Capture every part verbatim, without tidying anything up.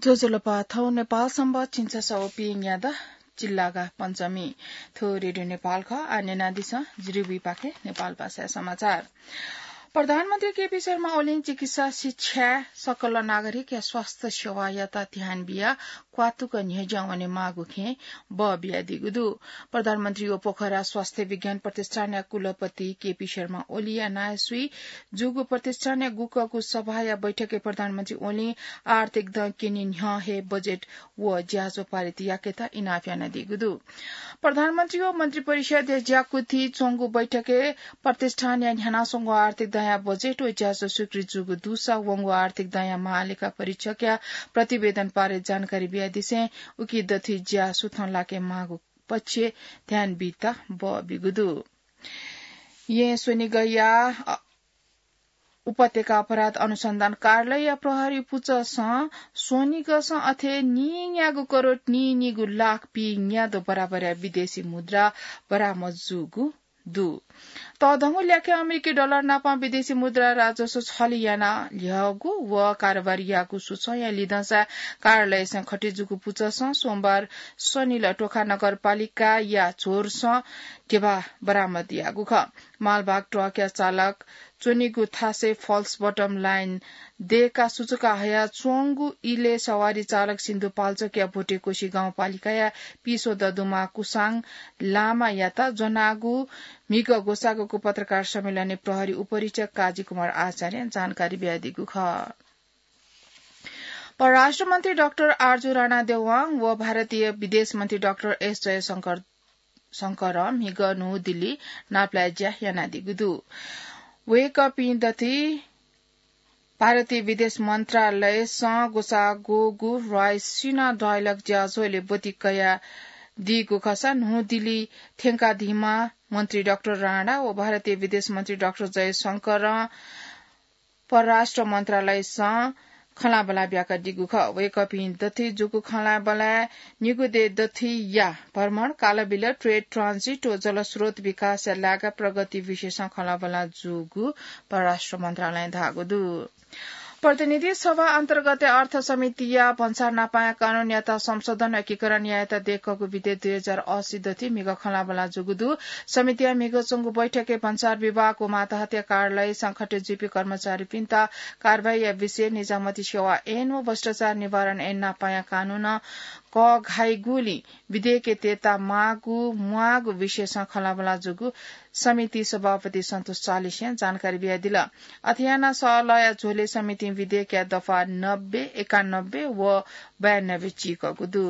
ज्वजलपा, थौं नेपाल संवत् झिंछसः व पीन्यादँ चिल्लागा पञ्चमी। थ्व रेडियो नेपाल खः। आः न्यनादिसँ जिरिबुइपाखें नेपाल भाषाय् समाचार। प्रधानमन्त्री केपी शर्मा ओलीं चिकित्सा, शिक्षा, सकल नागरिकया स्वास्थ्य सेवायात ध्यान बियाः क्वातुक न्ह्यज्यां वनेमाःगु खँय् बः बियादीगु दु। प्रधानमन्त्री व पोखरा स्वास्थ्य विज्ञान प्रतिष्ठानया कुलपति केपी शर्मा ओलीया नायःसुइ जूगु प्रतिष्ठानया गुकःगु सभाया बैठकय् प्रधानमन्त्री ओलीं आर्थिक दँ क्यनी न्ह्यः हे बजेट व ज्याझ्वः पारित याकेत इनाप यानादीगु दु। प्रधानमन्त्री व मन्त्रिपरिषदया ज्याकुथि च्वंगु बैठकय् प्रतिष्ठानया न्ह्यानाच्वंगु आर्थिक दँया बजेट व ज्याझ्वः स्वीकृत जूगु दुसा वंगु आर्थिक दँया महालेखा परीक्षकया प्रतिवेदन बारे जानकारी बियादिसें उकी दथुइ ज्या सुथं लाकेमाःगु पक्षय् ध्यान बीत बः बीगु दु। येँ स्वनिगःया, अ, उपत्यका अपराध अनुसन्धान कार्यालयया प्रहरी पुचःसं स्वनिगःसं अथे नीन्यागू करोड नीनिगू लाख पीन्यादँ बराबरया विदेशी मुद्रा बरामद जूगु दु। तःधंगु ल्याखय् अमेरिकी डलर नाप विदेशी मुद्रा राजस्व छली याना ल्ह्यःगु व कारोबार याःगु सूचंया लिधंसा कार्यालयसं खटे जूगु पुचःसं सोमबार स्वनिल टोखा नगरपालिकाया झोरसं ध्यबा बरामद याःगु खः। मालवाहक ट्रकया चालक च्वनीगु थासय् फल्स बटम लाइन दय्काः सुचुका हयाच्वंगु इलय् सवारी चालक सिन्धुपाल्चोकया भोटेकोशी गाउँपालिकाया पीस्वदँ दुमा कुसाङ लामायात ज्वनागु म्हिगः ग्वसाःगु पत्रकार सम्मेलनय् प्रहरी उपरीक्षक काजी कुमार आचार्यं जानकारी बियादीगु खः। परराष्ट्र मन्त्री डाक्टर आरजु राणा देवाङ व भारतीय विदेश मन्त्री डाक्टर एस जयशंकर शंकरं म्हिगः न्हू दिल्ली नापलाये ज्या यानादीगु दु। वय्कःपिं दथुइ भारतीय विदेश मन्त्रालयसं ग्वसाःगु रायसीना डायलग ज्याझ्वलय् ब्वति कयादीगु खःसा न्हू दिल्ली थ्यंकादीम्ह मन्त्री डाक्टर राणा व भारतीय विदेश मन्त्री डाक्टर जयशंकरं परराष्ट्र मन्त्रालयसं खँल्हाबल्हा ब्याकादीगु खः। वय्कःपिं दथुइ जूगु खँल्हाबल्हाय् निगू देय् दथुइया भ्रमण, कालबिल, ट्रेड ट्रान्जिट व जलस्रोत विकासया लागा प्रगति विषयसं खँल्हाबल्हा जूगु परराष्ट्र मन्त्रालयं धाःगु दु। प्रतिनिधि सभा अन्तर्गतया अर्थ समितिया भन्सार नापाया कानूनयात संशोधन एकीकरण यायेत दय्कःगु विधेयक दुई हजार अस्सी दथुइ म्हिगः खँल्हाबल्हा जूगु दु। समितिया म्हिगः च्वंगु बैठकय् भन्सार विभाग व माताहतया कार्यालयसं खटे जुइपिं कर्मचारीपिन्त कारवाहीया विषय, निजामती सेवा ऐन व भ्रष्टाचार निवारण ऐन नापाया कानूनं कःघाइगुलिं विधेयकय् तयेता माःगु म्वाःगु विषयसं खँल्हाबल्हा जूगु समिति सभापति सन्तोष चालिसें जानकारी बियादिल। अथे यानाः सहलहया झ्वलय् समितिं विधेयकया दफा नब्बे, एकानब्बे व बयानब्बे चीकःगु दु।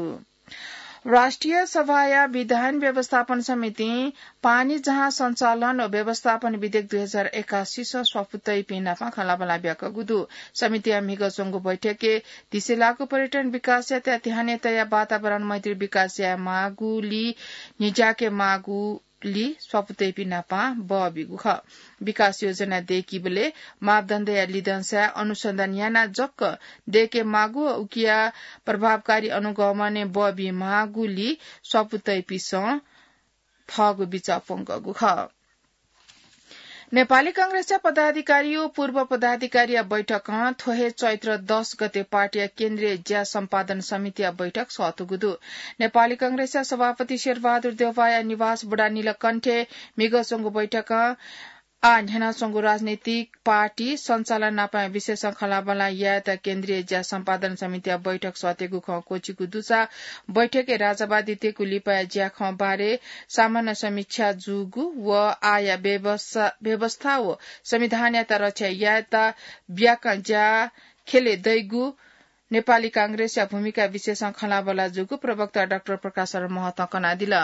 राष्ट्रिय सभाया विधान व्यवस्थापन समितिं पानी जहाज सञ्चालन व व्यवस्थापन विधेयक दुई हजार एकासीसं स्वापू तइपिं नाप खँल्हाबल्हा ब्याकःगु दु। समितिया म्हिगः च्वंगु बैठकय् धिसे लाःगु पर्यटन विकासयात ध्यानय् तयाः वातावरण मैत्री विकास याये माःगुलिं न्ह्यज्याके माःगु लि स्वापू तइपिं नाप बः बीगु खः। विकास योजना दय्कीबलय् मापदण्डया लिधंसाय् अनुसन्धान यानाः जक दय्के माःगु व उकिया प्रभावकारी अनुगमनय् बः बी माःगुलिं स्वापू तइपिन्सं थःगु बिचाः प्वंकःगु खः। नेपाली कांग्रेसया पदाधिकारी व पूर्व पदाधिकारीया बैठकं थ्व हे चैत्र दस गते पार्टीया केन्द्रीय ज्या सम्पादन समितिया बैठक सःतूगु दु। नेपाली कांग्रेसया सभापति शेरबहादुर देउवाया निवास बुढानीलकण्ठय् म्हिगः च्वंगु बैठकं आः न्ह्यानाच्वंगु राजनीतिक पार्टी सञ्चालन नापं विषयसं खँल्हाबल्हा यायेत केन्द्रीय ज्या सम्पादन समितिया बैठक सःतेगु खँ क्वःछिकू दुसा बैठकय् राजावादी तेकु लिपाया ज्याखँ बारे सामान्य समीक्षा जूगु व आःया व्यवस-, व्यवस्था व संविधानयात रक्षा यायेत ब्याकं ज्या ख्यले दइगु नेपाली कांग्रेसया भूमिका विषयसं खँल्हाबल्हा जूगु प्रवक्ता डाक्टर प्रकाश शरण महतं कनादिल।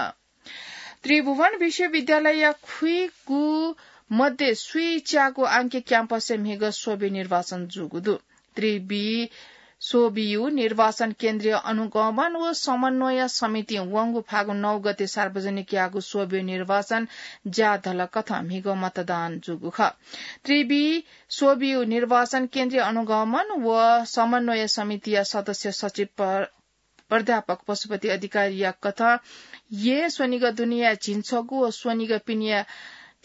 त्रिभुवन विश्वविद्यालयया खुइगु मध्ये सुइच्यागु आंकी क्याम्पसय् म्हिगः स्वब्यू निर्वाचन जूगु दु। त्रिबी स्वब्यू निर्वाचन केन्द्रीय अनुगमन व समन्वय समितिं वंगु फागुन नौ गते सार्वजनिक याःगु स्वब्यू निर्वाचन ज्या धलकथं म्हिगः मतदान जूगु खः। त्रिबी स्वब्यू निर्वाचन केन्द्रीय अनुगमन व समन्वय समितिया सदस्य सचिव प्र-, प्राध्यापक पशुपति अधिकारीया कथं येँ स्वनिगः दुनेया झिंछगू व स्वनिगः पिनेया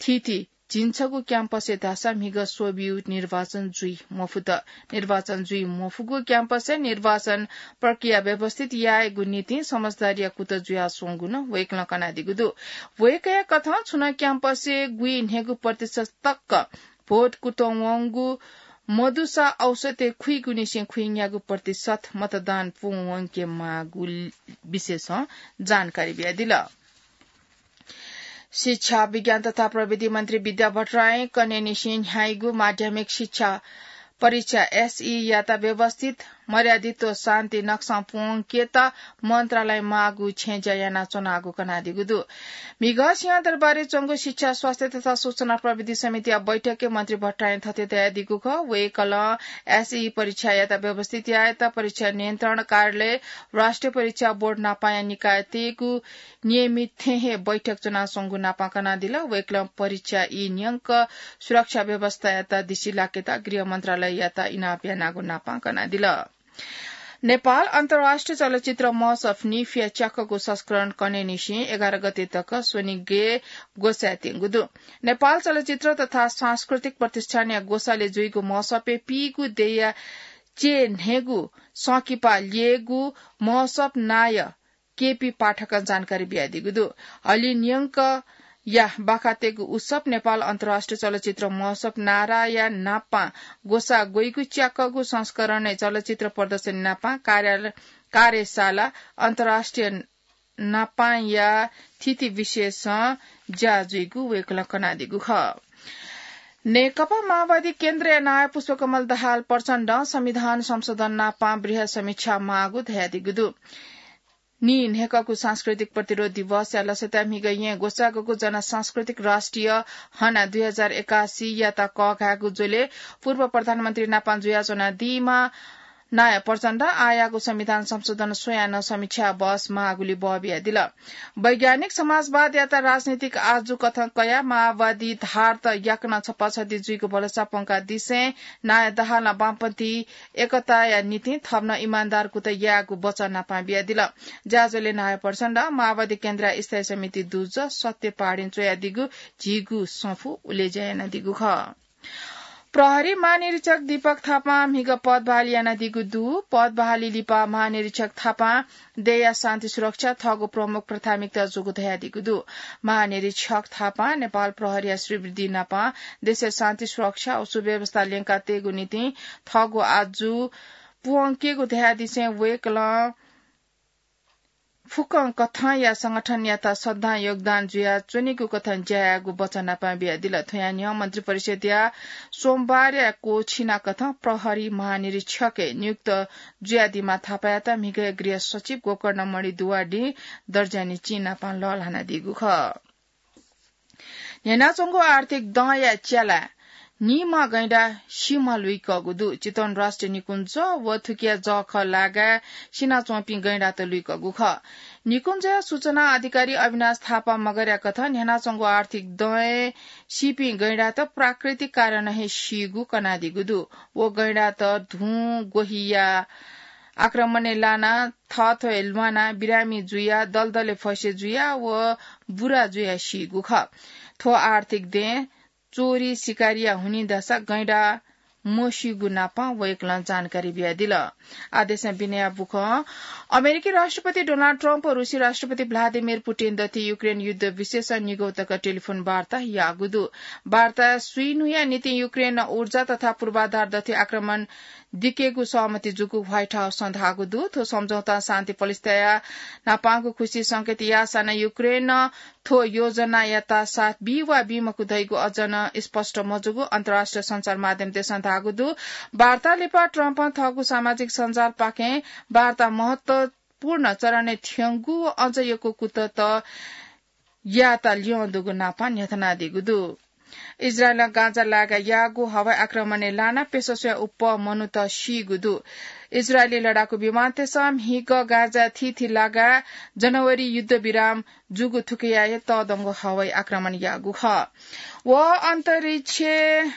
थीथी झिंछगू क्याम्पसय् धाःसा म्हिगः स्वब्यू निर्वाचन जुइ मफुत। निर्वाचन जुइ मफुगु क्याम्पसय् निर्वाचन प्रक्रिया व्यवस्थित यायेगु निंतिं समझदारीया कुतः जुयाच्वंगु नं वय्कलं कनादीगु दु। वय्कःया कथं छुं नं क्याम्पसय् गुइन्हय्गू प्रतिशत तक भोट कुतः वंगु मदुसा औसतय् खुइगुनिसें खुइन्यागू प्रतिशत मतदान पूवंके माःगु विषयसं जानकारी बियादिल। शिक्षा, विज्ञान तथा प्रविधि मन्त्री विद्या भट्टराईं कन्हय्निसें न्ह्याइगु माध्यमिक शिक्षा परीक्षा एसई यात व्यवस्थित, मर्यादित व शान्ति नक्सां पूवंकेत मन्त्रालयं माःगु छेँज्या यानाच्वनागु कनादीगु दु। म्हिगः सिंहदरबारय् च्वंगु शिक्षा, स्वास्थ्य तथा सूचना प्रविधि समितिया बैठकय् मन्त्री भट्टराईं थथे धयादीगु खः। वय्कलं एसई परीक्षायात व्यवस्थित यायेत परीक्षा नियन्त्रण कार्यालय, राष्ट्रिय परीक्षा बोर्ड नापांया निकायतय्गु नियमित थें हे बैठक च्वनाच्वंगु नापां कनादिल। वय्कलं परीक्षा ई न्यंक सुरक्षा व्यवस्थायात दिसिलाकेत गृह मन्त्रालययात इनाप यानागु नापां कनादिल। नेपाल अन्तर्राष्ट्रिय चलचित्र महोत्सव, निफया च्याकःगु संस्करण कन्हय्निसें एघार गते तक स्वनिगय् ग्वसाय् त्यंगु दु। नेपाल चलचित्र तथा सांस्कृतिक प्रतिष्ठानया ग्वसालय् जुइगु महोत्सवय् पीगू देय्या च्यय् न्हय्गू संकिपा ल्ययेगु महोत्सव नायः केपी पाठकं जानकारी बियादीगु दु। हलिं न्यंकया बाखा तयेगु उत्सव नेपाल अन्तर्राष्ट्रिय चलचित्र महोत्सव नाराया नापां ग्वसाः ग्वइगु च्याकःगु संस्करणय् चलचित्र प्रदर्शनी नापां कार्या-, कार्यशाला, अन्तर्राष्ट्रिय नापांया थीथी विषयसं ज्या जुइगु वय्कलं कनादीगु खः। नेकपा माओवादी केन्द्रया नायः पुष्पकमल दाहाल प्रचण्डं संविधान संशोधन नापां बृहत् समीक्षा माःगु धयादीगु दु। नीन्हय्कःगु सांस्कृतिक प्रतिरोध दिवसया लसताय् म्हिगः येँ ग्वसाःगु जनसांस्कृतिक राष्ट्रिय हना दुई हजार एकासी यात कःघायेगु झ्वलय् पूर्व प्रधानमन्त्री नापां जुयाच्वनादीम्ह नायः प्रचण्डं आःयाःगु संविधान संशोधन स्वयाः नं समीक्षा बहस माःगुलिइ बः बियादिल। वैज्ञानिक समाजवादयात राजनीतिक आजु कथं कयाः माओवादी धारत याकनं छपाछति जुइगु भलसा प्वंकादिसें नायः दाहालं वामपन्थी एकताया निंतिं थप नं इमानदार कुतः यायेगु वचन नापां बियादिल। ज्याझ्वलय् नायः प्रचण्डं माओवादी केन्द्रया स्थायी समिति दुजः सत्य पहाडीं च्वयादीगु झीगु सफू उलेज्या यानादीगु खः। प्रहरी महानिरीक्षक दीपक थापां म्हिगः पदबहाली यानादीगु दु। पदबहाली लिपा महानिरीक्षक थापां देय्या शान्ति सुरक्षा थःगु प्रमुख प्राथमिकता जूगु धयादीगु दु। महानिरीक्षक थापां नेपाल प्रहरीया श्रीवृद्धि नाप देशय् शान्ति सुरक्षा व सुव्यवस्था ल्यंका तयेगु निंतिं थःगु आजु पूवंकेगु धयादिसें वय्कलं फुक्कं कथंया संगठनयात सदां योगदान जुयाच्वनीगु कथं ज्या यायेगु वचन नापां बियादिल। थ्वया न्ह्यः मन्त्रिपरिषदया सोमबारया क्वःछिना कथं प्रहरी महानिरीक्षकय् नियुक्त जुयादीम्ह थापायात म्हिगःया गृह सचिव गोकर्णमणि दुवाडीं दर्जानी चिं नापां लःल्हानादीगु खः। न्ह्यानाच्वंगु आर्थिक दँया च्यालाय् निम्ह गैंडा सिम्ह लुइकःगु दु। चितवन राष्ट्रिय निकुञ्ज व थुकिया जःखः लागाय् सिनाच्वंपिं गैंडात लुइकःगु खः। निकुञ्जया सूचना अधिकारी अविनाश थापा मगरया कथं न्ह्यानाच्वंगु आर्थिक दँय् सीपिं गैंडात प्राकृतिक कारणं हे सीगु कनादीगु दु। व गैंडात धुं ग्वहिया आक्रमणय् लानाः थःथवय् ल्वानाः बिरामी जुयाः दलदलय् फसे जुयाः व बुरा जुयाः सीगु खः। थ्व आर्थिक दँय् चोरी सिकारीया हुनिं धाःसा गैंडा मसीगु नाप वय्कलं जानकारी बियादिल। आः देशं बिनया बुखँ। अमेरिकी राष्ट्रपति डोनाल्ड ट्रम्प व रूसी राष्ट्रपति भ्लादिमिर पुटिन दथुइ युक्रेन युद्ध विषयसं निगौ तक टेलिफोन वार्ता याःगु दु। वार्ता स्वीन्हुया निंतिं युक्रेनं ऊर्जा तथा पूर्वाधार दथुइ आक्रमण दिकेगु सहमति जूगु व्हाइट हाउसं धाःगु दु। थ्व सम्झौतां शान्ति पलिस्ताया न्हापांगु खुसी संकेत याःसां नं युक्रेनं थ्व योजनायात साथ बी वा बी मखु धइगु अझ नं स्पष्ट मजूगु अन्तर्राष्ट्रिय सञ्चार माध्यमतय्सं धाःगु दु। वार्ता लिपा ट्रम्पं थःगु सामाजिक सञ्जालपाखें वार्ता महत्वपूर्ण चरणय् थ्यंगु व अझ यक्व कुतः यायेत ल्यं दुगु नाप न्ह्यथनादीगु दु। इजरायलं गाजा लागाय् याःगु हवाई आक्रमणय् लानाः प्यसः स्वयाः उप्पः मनूत सीगु दु। इजरायली लडाकू विमानतय्सं म्हिगः गाजाय् थीथी लागाय् जनवरी युद्ध विराम जूगु थुकियात हे तःधंगु हवाई आक्रमण याःगु खः। व अन्तरिक्षय्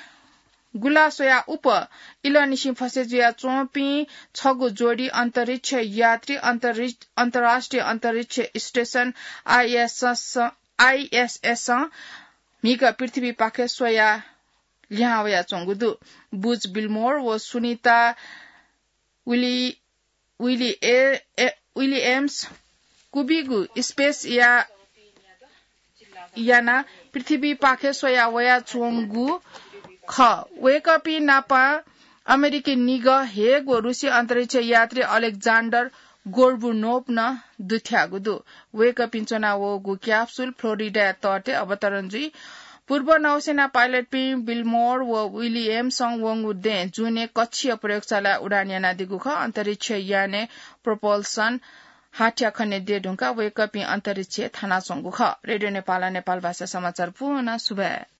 गुलास्वयाः उप्पः इलंनिसें फसे जुयाच्वंपिं छगू जोडी अन्तरिक्ष यात्री अन्तरिक्ष, अन्तर्राष्ट्रिय अन्तरिक्ष स्टेसन आइएसएस, आइएसएसं म्हिगः पृथ्वीपाखे स्वया लिहां वयाच्वंगु दु। बुज विल्मोर व सुनिता विलि विलि ए विलियम्स कुबिगु स्पेस या यानाः पृथ्वीपाखे स्वया वयाच्वंगु खः। वय्कःपिं नाप अमेरिकी निगः हेग व रुसी अन्तरिक्ष यात्री अलेक्जान्डर गोर्बुनोभ नं दुथ्याःगु दु। वय्कःपिं च्वनावःगु क्याप्सुल फ्लोरिडाया तटय् अवतरण जुइ। पूर्व नौसेना पाइलटपिं विल्मोर व विलियम्सं वंगु दँय् जुनय् कक्षीय प्रयोगशालाय् उडान यानादीगु खः। अन्तरिक्ष यानय् प्रोपल्सन हाथ्या खने दये धुंकाः वय्कःपिं अन्तरिक्षय् थानाच्वंगु खः। रेडियो नेपालं नेपाल भाषा समाचार पूवना। सुभाय्।